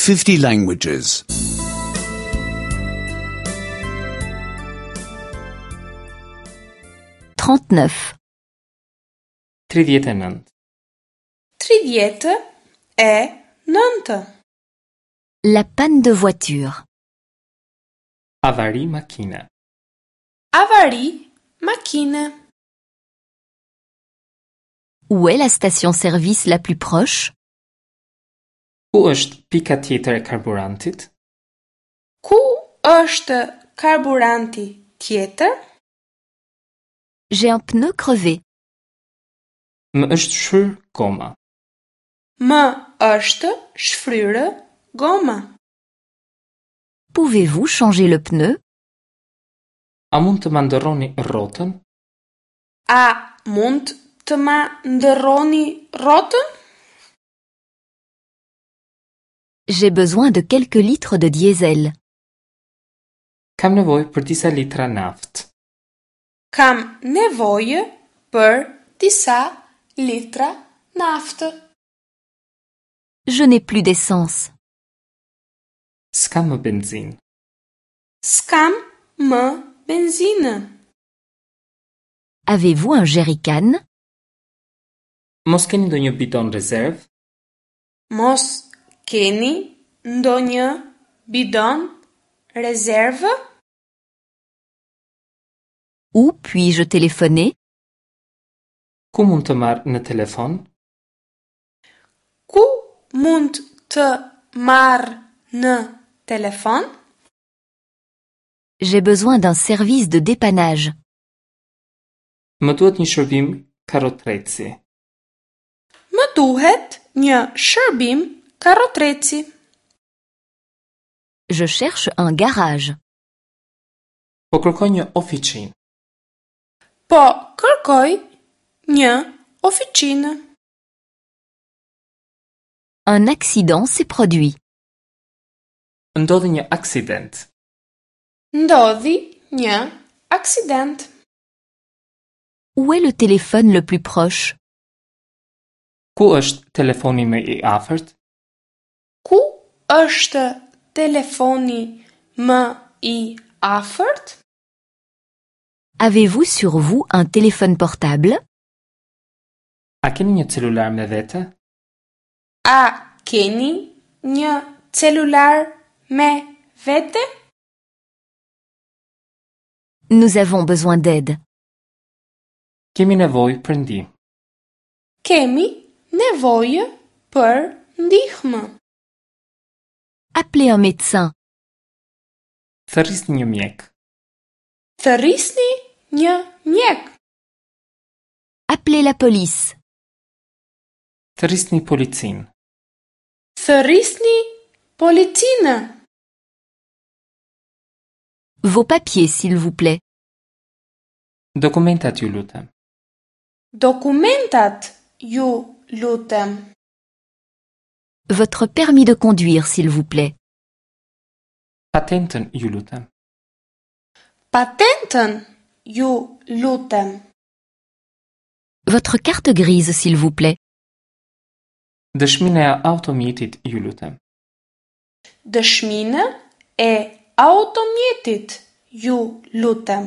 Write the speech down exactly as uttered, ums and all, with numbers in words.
fifty languages. trente-neuf, tridhjetë e nëntë. Tridhjetë e nëntë. La panne de voiture. Avari makine. Avari makine. Où est la station-service la plus proche? Ku është pika tjetër e karburantit? Ku është karburanti tjetër? J'ai un pneu crevé. Më është shfryr goma. Më është shfryrë goma. Pouvez-vous changer le pneu? A mund të ma ndërroni rrotën? A mund të ma ndërroni rrotën? J'ai besoin de quelques litres de diesel. Kam nevojë për disa litra naftë. Kam nevojë për disa litra naftë. Je n'ai plus d'essence. S'kam më benzinë. S'kam më benzinë. Avez-vous un jerrycan? Mos keni ndonjë bidon rezervë? Mos keni ndonjë bidon rezervë? Où puis-je téléphoner? Ku mund të marr në telefon? Ku mund të marr në telefon? J'ai besoin d'un service de dépannage. Më duhet një shërbim karrotreci. Më duhet një shërbim karrotreci. Je cherche un garage. Po kërkoj një ofiqinë. Po kërkoj një ofiqinë. Un accident s'est produit. Ndodhi një aksident. Ndodhi një aksident. Où est le téléphone le plus proche? Ku është telefoni më i afërt? Ku është telefoni më i afërt? Avez-vous sur vous un téléphone portable? A keni një celular me vete? A keni një celular me vete? Nous avons besoin d'aide. Kemi nevojë për ndihmë. Kemi nevojë për ndihmë. Appelez un médecin. Thërrisni një mjek. Thërrisni një mjek. Appelez la police. Thërrisni policinë. Thërrisni policinë. Vos papiers, s'il vous plaît. Dokumentat ju lutem. Dokumentat ju lutem. Votre permis de conduire, s'il vous plaît. Patentën ju lutem. Patentën ju lutem. Votre carte grise, s'il vous plaît. Dëshminë e automjetit ju lutem. Dëshminë e automjetit ju lutem.